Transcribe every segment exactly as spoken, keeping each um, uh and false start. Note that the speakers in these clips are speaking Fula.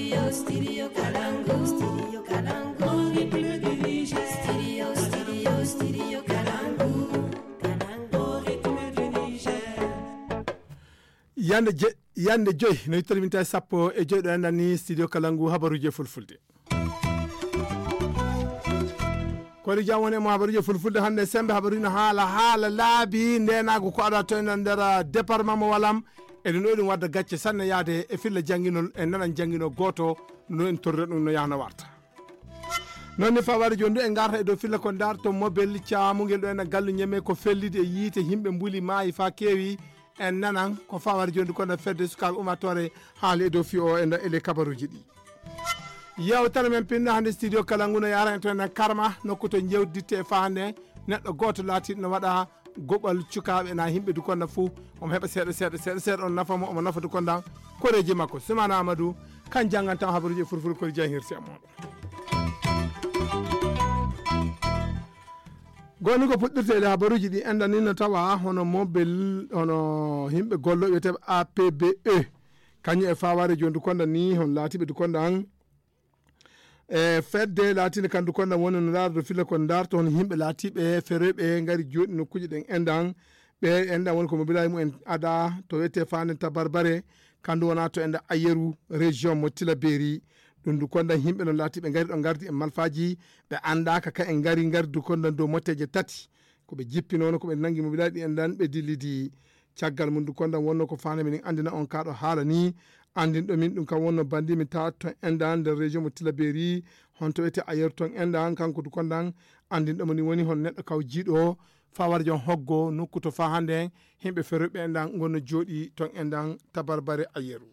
Studio Kalangu, Studio Kalangu, Studio, Studio, Studio Kalangu, Kalangu, Yande je, yande joy, no yittori minti sappo e joy ɗo enɗan ni studio Kalangu habaruji e fulfulde. Koɗo jam woni e mo habaruji e fulfulde hannde sembe habaruji no haala, haala laabi ndenagu ko aɗa to enɗan nder département mo Walam. Eɗen ɗo eɗen wadda gacce sanne yaade e filla jannginol e nanan jannginol gooto no en torre ɗum no yahno warta. Noon ne fawaade jooni ɗo en ngarta e dow filla ko ndarto mobel caamungel ɗo enɗan gallu ñeme ko fellidi e yiite yimɓe mbuli maayi faa keewi. En nanan ko fawaade jooni ko no fedde sukaaɓe ummatore haali e dow fi o enɗan ele kabaruji ɗi. Yewtere men pinno hannde studio Kalangu no yara en to enɗan karma nokku to jewditte e fahande neɗɗo gooto laatiiɗo no waɗa goɓal cukaaɓe na yimɓe dukonda fuu. Omo heɓa seeɗa seeɗa seeɗa seeɗa on nafa mo omo nafa dukonda koreeji makko. Sumana Amadou kan janngantaa habaruji e furfur kori jahirsi e mooɗon. Goni ko puɗɗirteede habaruji ɗi enɗan ni no tawa hono mobel hono yimɓe gollo wiyeteeɓe A P B E. Kañum e fawaade jooni dukonda ni hon laatiiɓe dukonda an e fedde laatiinde kan dukonda woni no ndaardo filla ko ndarto hono yimɓe laatiiɓe feroyɓe ngari jooɗi nokkuuji ɗen enɗan. Ɓe enɗan woni ko mobilaaji mumen ada to wiyetee faande tabarbare kandu wona to enɗan ayeru région mo tilaberi. Ɗum dukonda yimɓe no laatiiɓe ngari ɗo ngardi e malfaaji ɓe anndaaka ka en ngari ngardi dukonda dow motteeje tati. Ko ɓe jippinoono ko ɓe nangi mobilaaji ɗi enɗan ɓe dillidi. Caggal mum dukondan wonno ko faande minen anndina on kaɗo haala ni. Anndinɗo min ɗum kam wonno bandi mi tawa ton enɗan nder région mo tilaberi honto wiyete ayer ton enɗan kanko dukondan. Anndinɗo mo ni woni hon neɗɗo kaw jiiɗo fawar jon hoggo nokku to fa hannde yimɓe feroɓe enɗan ngonno jooɗi ton enɗan tabarbare ayeru.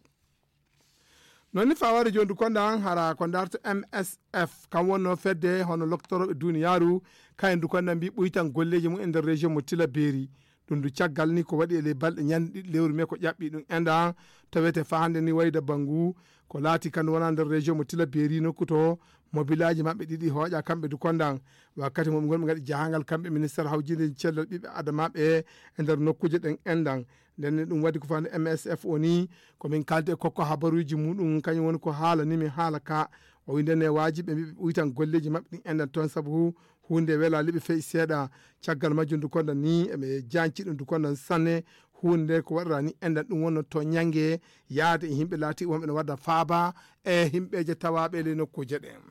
Noon ni fawaade jooni dukonda an hara ko ndarto M S F kam wonno fedde hono loktorooɓe duniyaaru. Kayen dukonda mbi ɓuytan golleeji mum e nder région mo tilaberi. Ɗum du caggal ni ko waɗi e ley balɗe ñande ɗiɗi lewru me ko ƴaɓɓi ɗum enɗan tawete fa hannde ni wayda banngu ko laati kan wona nder région mo tilaberi nokku to mobilaaji maɓɓe ɗiɗi hooƴa kamɓe dukondan. Wakkati mo ɓe ngoni ɓe ngaɗi jahangal kamɓe ministére hawjinde cellal ɓiɓɓe adamaɓe e nder nokkuuje ɗen enɗan. Nden ne ɗum waɗi ko fande M S F o ni ko min kaldi e kokko habaruji muɗum kañum woni ko haala ni mi haala ka. O wi nden ne wajiɓe mbiɓe ɓuytan golleji maɓɓe ɗin enɗan toon sabu hunde welali ɓe fey seeɗa. Caggal majjum dukondan ni eɓe janci ɗum dukondan sanne. Hunde ko waɗata ni enɗan ɗum wonno to ñange yaade e yimɓe laati wonɓe no wadda faaba e yimɓeje tawaɓe e ley nokkuje ɗen.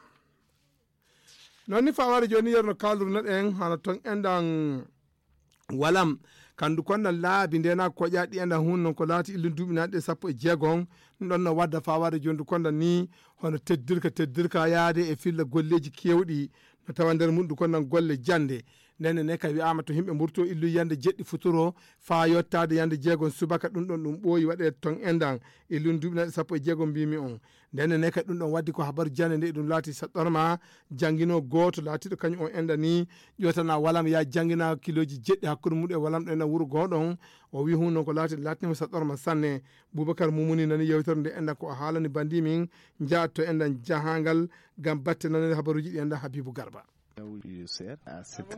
Noon ni fawaade jooni yerno kaalduno ɗen hano ton enɗan walam kandu kondan laabi ndena koƴa ɗi enɗan hun non ko laati illun duuɓinaaɗi e sappo e jeegom. Ɗum ɗon no wadda fawaade jooni du kondan ni hono teddirka teddirka yaade e filla golleeji keewɗi no tawa nder mum du kondan golle jannde. Ndenne ne ka wi'aama to yimɓe mburto illu yande jeɗɗi futuro faa yottaade yande jeegom subaka ɗum ɗon ɗum ɓooyi waɗe ton enɗan illun duuɓinaaɗi sappo e jeegom mbimi on. Ndenne ne kadi ɗum ɗon waddi ko habaru jannde nde ɗum laati saɗɗorma janngino gooto laatiiɗo kañum o enɗani ƴootana walam ya janngina kiloji jeɗɗi hakkunde mum e walam ɗo ena wuro gooɗon. O wi hun noon ko laati laatnima saɗɗorma sanne. Boubacar Mumuni nani yewtere nde enɗan ko o haalani bandi min njaat to enɗan jahangal ngam batte nanede habaruji ɗi enɗan Habibu Garba.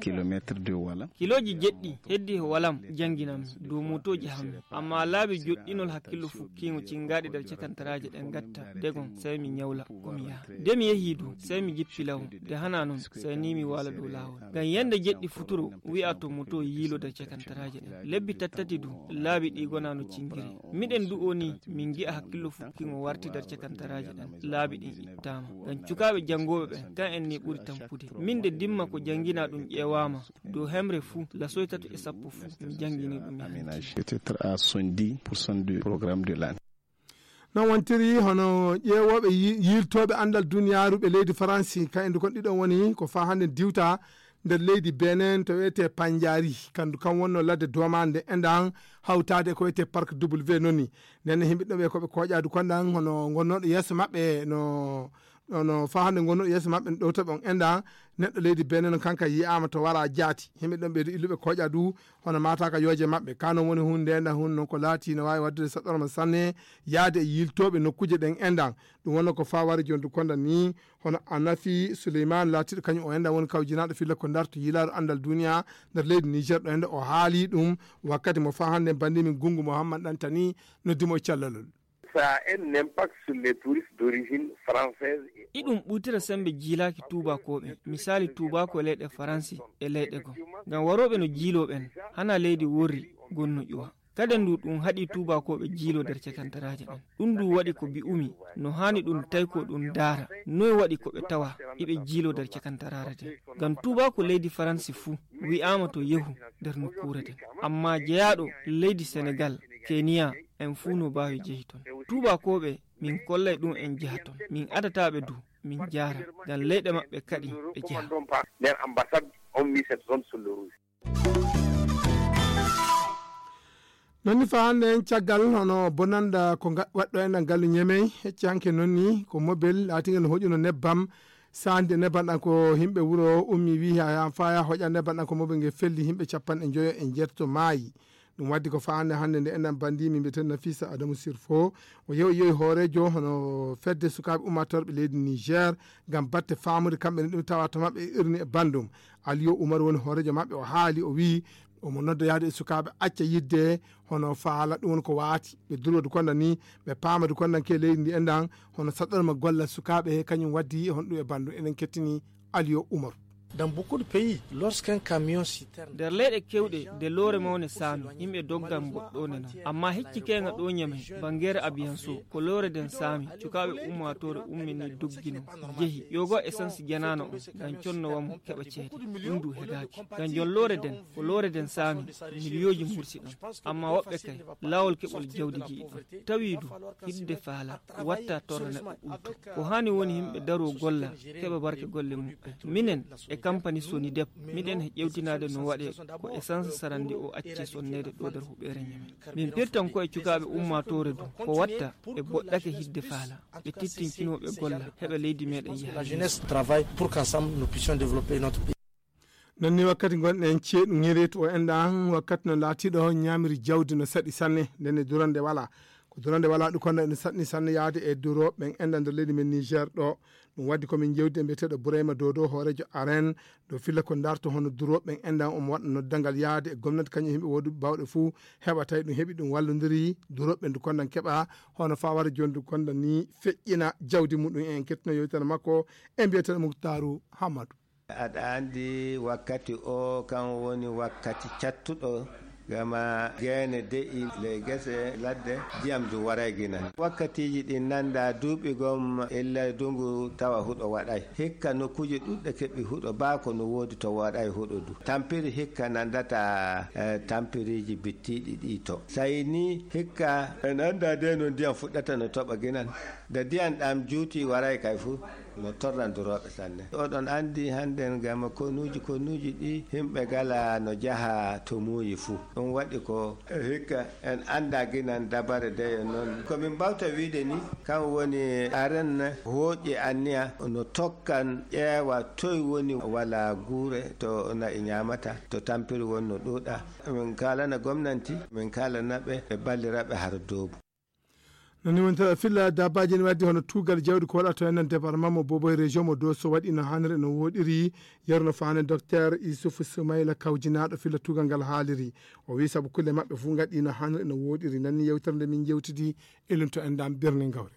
Kilomètre de Walam. Kilooji jeɗɗi heddi ko Walam jannginammi dow motooji hammi. Amma laabi joɗɗinol hakkillo fukkiingo cinngaɗi nder cakantaraaje ɗen ngatta degon, sey mi ñawla ko mi yaha. Nde mi yehii du, sey mi jippi law. Nde hanaa non, sey nii mi waala dow laawol. Ngam yande jeɗɗi futuro wi'a to moto yiilo nder cakantaraaje ɗen. Lebbi tattati du, laabi ɗi gonaa no cinngiri. Miɗen du o nii, min ngi'a hakkillo fukkiingo warti nder cakantaraaje ɗen. Laabi ɗin ittaama. Ngam cukaaɓe janngooɓe ɓen, kan en nii ɓuri tampude. Min de dimma ko jannginaa ɗum ƴeewaama, dow hemre fuu, lasoy tato e sappo fuu, mi janngini ɗum e hanki. Peut-être à soixante-dix pour cent du programme de l'année. Non wontiri hono ƴeewooɓe yi- yiiltooɓe anndal duniyaaru ɓe leydi Faransi, ka'en du kon ɗiɗon woni ko faa hannde diwta nder leydi Benin to wiyetee Panjari, kandu kan wonno ladde domaande enɗan hawtaade ko wiyetee Parc W noni. Nden ne yimɓe ɗo ɓe ko ɓe kooƴaadu konɗan hono ngonnooɗo yeeso maɓɓe no, no, no faa hannde ngonnooɗo yeeso maɓɓe no ɗowta ɓe on enɗan neɗɗo leydi Benin no kanka yi'aama to wara jaati. Yimɓe ɗon ɓeydu illuɓe kooƴaadu hono maataaka yooje maɓɓe. Ka non woni hunde enɗan hun non ko laati no waawi waɗdude saɗɗorma sanne yaade e yiiltooɓe nokkuuje ɗen enɗan. Ɗum wonno ko faa wari jondu konɗan ni hono Anafi Suleyman laatiiɗo kañum o enɗan woni kawjinaaɗo filla ko ndarto yilaaru anndal duniya nder leydi Niger ɗo enɗan o haali ɗum wakkati mo faa hannde bandi min Gungu Muhammad Ɗantani noddimo e callalol. Ça a un impact sur les touristes d'origine française. Iɗum ɓuytira sembe jiilaaki tuubakooɓe, misaali tuubaako e leyɗe Faransi e leyɗe goo. Ngam warooɓe no jiiloo ɓen, hana leydi worri gonno ƴuwa. Kadi ndu ɗum haɗi tuubakooɓe jiiloo nder cakantaraaje ɗen. Ɗum ndu waɗi ko mbi'umi, no haani ɗum taykoo ɗum ndaara, noy waɗi ko ɓe tawa iɓe jiiloo nder cakantaraare den. Ngam tuubaako leydi Faransi fuu wi'aama to yehu nder nokkuure den. Ammaa jeyaaɗo leydi Senegal, Keniya, en fuu no mbaawi jehi ton. Tuubakooɓe, min kollay ɗum en jeha ton. Min adataa ɓe du, min jaara. Ngam leyɗe maɓɓe kaɗi ɓe jeha. Leur ambassade, on met cette zone sur le rouge. Non ni faa hannde en caggal hono bonanda ko nga-, waɗɗo enɗan gallu Ñemey, hecci hanke non ni ko mobel laatiingal no hoƴuno nebbam, saandi nebbam ɗan ko yimɓe wuro ummi wi ha, ha faa ya hoƴa nebbam ɗan ko mobel ngel felli yimɓe cappanɗe njoyo e njeetato maayi. Ɗum waddi ko faa hannde, hannde nde enɗan bandi min mbiyeten Nafisa Adamu Sirfo, o yewi, yewi hooreejo hono fedde sukaaɓe ummatorɓe leydi Niger ngam batte faamude kamɓe ne ɗum tawa to maɓɓe e irni e bandum. Aliyo Umar woni hooreejo maɓɓe, o haali, o wi'i omo nodda yaade e sukaaɓe acca yidde hono faala ɗum woni ko waati. Ɓe durwadu konda ni, ɓe paamadu konda ke leydi ndi enɗan, hono saɗɗorma gollal sukaaɓe he kañum waddi hono ɗum e bandum. Eɗen kettini Aliyo Umar. Dans beaucoup de pays, lorsqu'un camion citerne. Nder leyɗe kewɗe, nde loore mawne saami, yimɓe doggan mboɗɗoone non. Ammaa hecci keenga ɗo Ñamey, banngeere Abiyanso, ko loore nden saami, cukaaɓe ummaatoore ummini doggino, jehi, ƴoogo essence janaano on, ngam conno wamo keɓa ceede. Ɗum du hegaaki. Ngam jon loore nden, ko loore nden saami, miliyooji mursi ɗon. Ammaa woɓɓe kay, laawol keɓol jawdi ji'i ɗon. Tawi du, hidde faala, watta torra neɗɗo ɓulto. Ko haani woni yimɓe daroo golla, keɓa barke golle muɓɓen. Minen e kampani Sonidep, miɗen he ƴewtinaade no waɗee ko essence sarandi o acci sonneede ɗo nder huɓeere Ñamey. Min pirtan ko e cukaaɓe ummaatoore du, ko watta ɓe boɗɗake hidde faala, ɓe tittinkinoo ɓe golla, heɓa leydi meɗen yaha. La jeunesse travaille pour qu'ensemble nous puissions développer notre pays. Non ni wakkati ngonɗen ceeɗu ŋereetu o enɗan, wakkati no laatiɗo ñaamiri jawdi no saɗi sanne, nden e durande wala. Ko durande wala ɗum kono ene saɗni sanne yaade e duro ɓen enɗan nder leydi men Niger ɗo. Ɗum waddi ko min jewdi e mbiyeteeɗo Burayma Dodo, hooreejo aren, ɗo filla ko darto hono duro ɓen enɗan omo waɗa noddangal yaade e gomnati kañum e yimɓe woduɓe bawɗe fuu heɓa tawi ɗum heɓi ɗum wallondiri duro ɓen ndu kondan keɓa hono fawara jondu kondan ni feƴƴina jawdi muɗum en. Kettino yewtere makko e mbiyeteeɗo Muktaaru Hammadu. Aɗa anndi wakkati o kan woni wakkati cattuɗo, gama geene de'i ley gese ladde, ndiyam du waray ginan. Wakkatiiji ɗin nanda duuɓi gom illa dungu tawa huɗo waɗay. Hikka nokkuuje ɗuɗɗe keɓi huɗo baa ko no woodi to waɗay huɗo du. Tampiri hikka nandata, eh, tampiriiji bittiiɗi ɗi to. Sayi ni hikka en anda de no ndiyam fuɗɗata no toɓa ginan. Nde ndiyam ɗam juuti waray kay fu. No torrandurooɓe sanne. Oɗon anndi hannden gam konuuji konuuji ɗi, himɓe gala no jaha to muuyi fuu. Ɗum waɗi ko hikka en annda ginan dabare deyo noon. Ko min mbawta wiide ni, kam woni aren hooƴi anniya no tokkan ƴeewa toy woni wala guure to na'i ñaamata, to tampiri won no ɗuuɗa. Min kaalana gomnanti, min kaalana ɓe, ɓe ballira ɓe hara doobu. Nani woni tawa filla dabbaaji ne waddi hono tuugal jawdi ko waɗata en nan département mo Bobo e région mo Dosso waɗi no hanre no woɗiri. Yerno faane docteur Issouf Soumaila kawjinaaɗo filla tuugal ngal haaliri. O wi sabu kulle maɓɓe fuu ngaɗi no hanre no woɗiri. Nani yewtere nde min jewtidi e lunto en dam birni ngawre.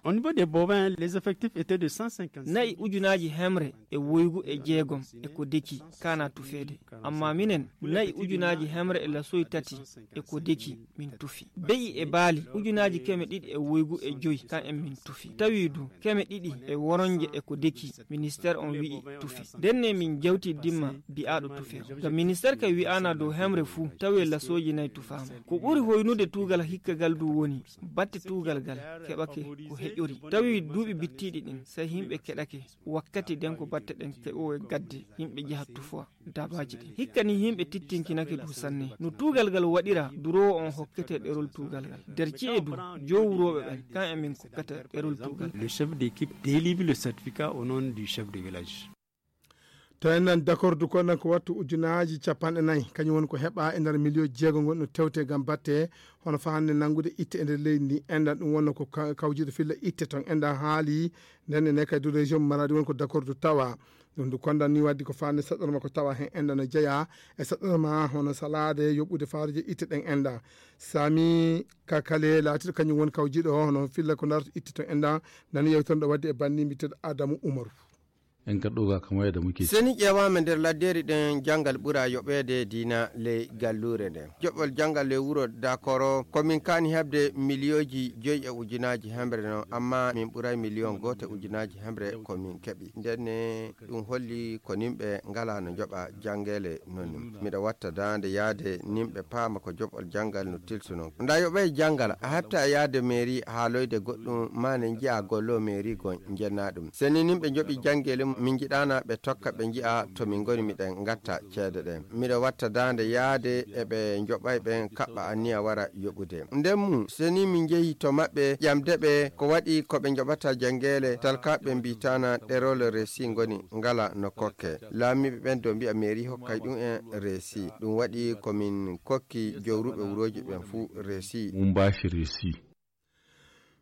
Au niveau des bovins, les effectifs étaient de cent cinquante. Na'i ujunaaji hemre e woygu e jeegom e ko deki kana tufeede. Amma minen, na'i ujunaaji hemre e lasoy tati e ko deki min tufi. Be'i e baali ujunaaji keme ɗiɗi e woygu e joy kan en min tufi. Tawi du, keme ɗiɗi e woronje e ko deki, ministère on wi'i tufi. Denne min jawti dimma bi'aaɗo tufe. Ga ministère kay wi'aana dow hemre fuu, tawi lasooji nayi tufaama. Ko ɓuri hoynude tuugal hikka gal du woni, batte tuugal gal keɓake ko heƴori. Tawi duuɓi bittiiɗi ɗin, sey himɓe keɗake. Wakkati den ko batte ɗen keɓoowe gadde, yimɓe jaha tufowa daabaaji ɗin. Hikka ni yimɓe tittinkinake du sanne. No tuugal gal waɗira, duroowo on hokkete ɗerol tuugal gal. Der ci'e du, jowrooɓe ɓen, kan e min kokkata ɗerol tuugal. Le chef d'équipe délivre le certificat au nom du chef de village. To en nan dakordu kon nan ko wattu ujunaaji capanɗe nayi, kañum woni ko heɓa e nder miliyo jeego ngon no tewte ngam batte, hono fa hannde nanngude itte e nder leydi ndi. Enɗan ɗum wonno ko ka-, kawjuɗo filla itte ton. Enɗan haali nden ene kadi région Maradi woni ko dakordu tawa. Ɗum ndu kondan ni waddi ko faande saɗɗorma ko tawa heen ennda no jeyaa e saɗɗorma hono salaade yoɓude faaruuji itte ɗen ennda. Sami Kakale laatiiɗo kañum woni kawjiiɗo hono filla ko darto itte to ennda. Nani yewtere ɗo waddi e banndi mbiteeɗo Adamu Umaru. En gaddoga kama e Adamu Keyti. Seni ƴeewaama nder laddeeri ɗen janngal ɓura yoɓeede diina ley galluure nden. Joɓol janngal ley wuro Dakoro ko min kaani heɓde miliyooji joyi e ujunaaji hemre non, amma min ɓuray miliyon gooto e ujunaaji hemre ko min keɓi. Nden ne ɗum holli ko nimɓe ngalaa no njoɓa janngeele non ni. Miɗo watta daande yaade nimɓe paama ko joɓol janngal no tilsuno. Nda yoɓay janngal, a heɓta e yaade meeri haaloyde goɗɗum, maa ne nji'a gollo meeri gon njenna ɗum. Seni nimɓe njoɓi janngeele mum, min njiɗaana ɓe tokka ɓe nji'a to min ngoni miɗen ngatta ceede ɗen. Miɗo watta daande yaade e ɓe njoɓay ɓen kaɓɓa anniya wara yoɓude. Nden mum, seni min njehi to maɓɓe ƴamde ɓe ko waɗi ko ɓe njoɓata janngeele, talkaaɓe mbiitaana ɗerol resi ngoni ngala no kokke. Laamiiɓe ɓen do mbi'a meeri hokkay ɗum en resi. Ɗum waɗi ko min kokki jowruɓe wurooji ɓen fuu resi. Mum mbaasi resi.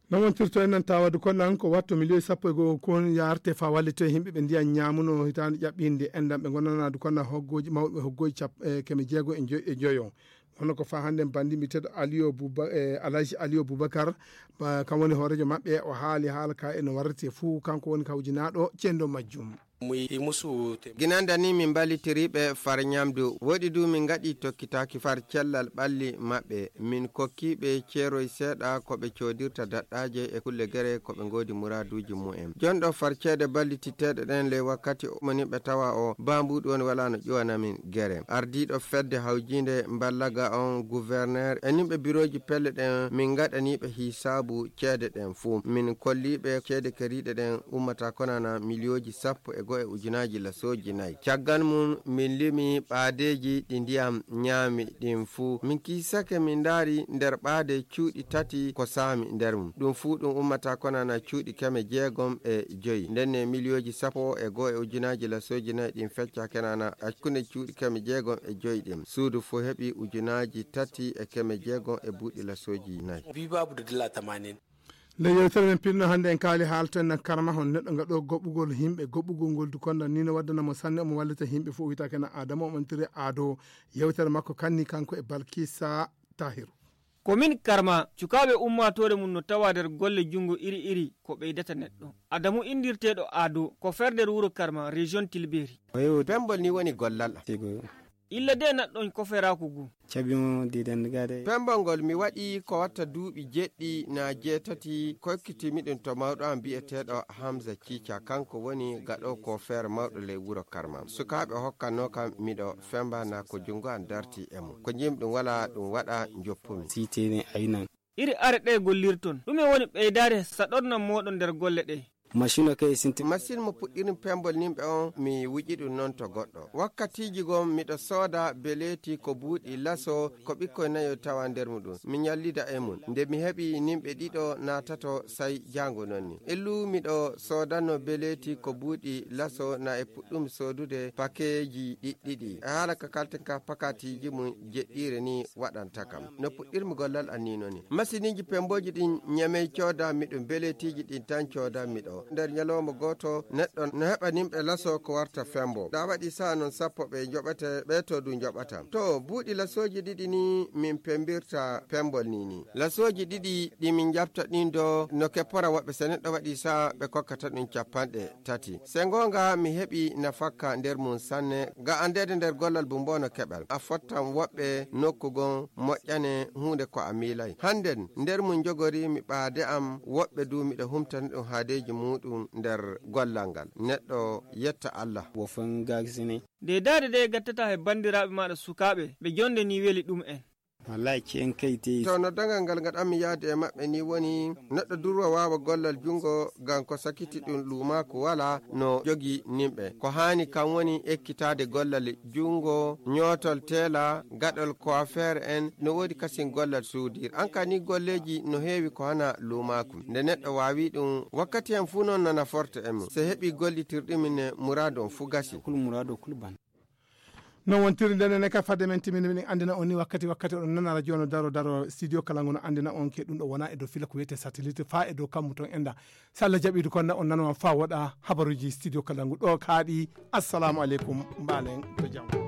No wontirto en nan tawadu konnan ko watto miliyoyi sappo e goo kon yaarte fa wallito e yimɓe ɓe ndiyan ñaamuno hitaande ƴaɓɓinde enɗan ɓe ngonanaadu konnan hoggooji mawɓe hoggooji cap-, e keme jeego e njo-, e njoyo. Kono ko fa hannde banndi mbiteeɗo Aliyo Buba-, e Alhaji Aliyo Bubakar, ba, kam woni hooreejo maɓɓe, o haali haala ka e no warrete fuu, kanko woni kawjinaaɗo cendo majjum. Muy musu te- Ginanda ni min mballitiriiɓe far ñamdu. Woɗi du min ngaɗi tokkitaaki far cellal ɓalli maɓɓe. Min kokkiiɓe ceeroy seeɗa ko ɓe coodirta daɗɗaaje e kulle gere ko ɓe ngoodi muraaduuji mumen. Jonɗo far ceede ballititteeɗe ɗen ley wakkati o moni ɓe tawa o bambuɗu on wala no ƴuwana min gere. Ardiiɗo fedde hawjiinde mballaga on, gouverneur e nimɓe birooji pelle ɗen min ngaɗaniiɓe hisaabu ceede ɗen fuu. Min kolliiɓe ceede keriiɗe ɗen ummata konana miliyooji sappo e goo e ujunaaji lasooji nayi. Caggal mum, min limi ɓaadeeji ɗi ndiyam ñaami ɗin fuu. Min kiisake, min ndaari nder ɓaade cuuɗi tati ko saami nder mum. Ɗum fuu ɗum ummata konana cuuɗi keme jeegom e joyi. Ndenne miliyooji sappo e goo e ujunaaji lasooji nayi ɗin fecca kenana hakkunde cuuɗi keme jeegom e joyi ɗin. Suudu fuu heɓi ujunaaji tati e keme jeegom e buuɗi lasooji nayi. Bibabu da dala tamanin. Nde yewtere men pinno hannde en kaali haalten nan karma hon neɗɗo ngaɗo goɓɓugol yimɓe, goɓɓugol ngol du kondan ni no waddana mo sanne, omo wallita yimɓe fof wiyetake na Adama, omo antiri Ado. Yewtere makko kanni kanko e Balkisa Tahiru. Ko min karma, cukaaɓe ummaatoore mum no tawa nder golle junngo iri iri ko ɓeydata neɗɗo. Adamu inndirteeɗo Ado, ko fer nder wuro Karma, région Tilberi. Pembol ni woni gollal. Illa de naɗɗon koferaaku ngu. Cabi mo diiden gade. Pembol ngol mi waɗi ko watta duuɓi jeɗɗi na jeetati, kokkitimi ɗum to mawɗo am bi'eteeɗo Hamza Cica, kanko woni gaɗo ko feere mawɗo ley wuro Karma. Sukaaɓe hokkannoo kam miɗo femba na ko junngo am darti e mum. Ko njim ɗum wala ɗum waɗa njoppumi. Siitene aynan. Iri are ɗe gollirton, ɗume woni ɓeydaare saɗornan mooɗon nder golle ɗe? Machine o kay sinti. Machine mo puɗɗirin pembol nimɓe on, mi wuƴi ɗum noon to goɗɗo. Wakkatiiji gom miɗo sooda beleeti ko buuɗi laso, ko ɓikkoy nayo tawa nder muɗum. Mi ñallida e mum. Nde mi heɓi nimɓe ɗiɗo naatato, say jaango noon ni. Illu miɗo soodanno beleeti ko buuɗi laso na e puɗɗum soodude pakeeji ɗiɗɗiɗi. E haala ka kalten ka pakatiiji mum jeɗɗiire ni waɗanta kam. No puɗɗirmi gollal an ni noon ni. Masiniiji pembooji ɗin ñamey coodanmi ɗum, beleetiiji ɗin tan coodanmi ɗo. Nder ñalawma gooto, neɗɗo no heɓa nimɓe laso ko warta fembo. Da waɗi saha noon sappo ɓe njoɓete, ɓe to du njoɓata. To buuɗi lasooji ɗiɗi ni min pembirta pembol ni ni. Lasooji ɗiɗi ɗi min njaɓta ɗin do no keppora woɓɓe, so neɗɗo waɗi saha ɓe kokkata ɗum capanɗe tati. Se ngoonga mi heɓi nafakka nder mum sanne, ga andeede nder gollal bumbo no keɓal. A fottan woɓɓe nokku gon moƴƴane huunde ko a miilay. Hannden nder mum njogori mi ɓaade am woɓɓe du miɗo humtani ɗum haadeeji muuɗum nder gollal ngal. Neɗɗo yetta Allah. Wo fen gagisini. Nde daade de gattata he banndiraaɓe maaɗa sukaaɓe, ɓe jonde ni weli ɗum en. Wallahi, ci en kay tey. To noddangal ngal ngaɗanmi yaade e maɓɓe ni woni, neɗɗo durwa waawa gollal junngo, ngam ko sakiti ɗum luumaaku wala no jogi nimɓe. Ko haani kam woni ekkitaade gollal junngo, ñootol teela, gaɗol coiffeur en, no woodi kasin gollal suudir. An ka ni golleeji no heewi ko hana luumaaku. Nde neɗɗo waawi ɗum, wakkati hen fuu noon nana forte e mum. Se heɓi gollitirɗum ne muraadu on fuu gasi. Kul muraadu kul ban. Non wontiri nden ne ka fadde men timini min andina on ni wakkati wakkati on nana radio no daro daro studio kala ngono andina on ke ɗum ɗo wona e dow fila ko wiyete satellite fa e dow kammu ton enda. So Allah jaɓiidu kon na on nano on fa woɗa habaruji studio kala ngu ɗo kaaɗi. Assalamu aleykum, mbaalen to jam.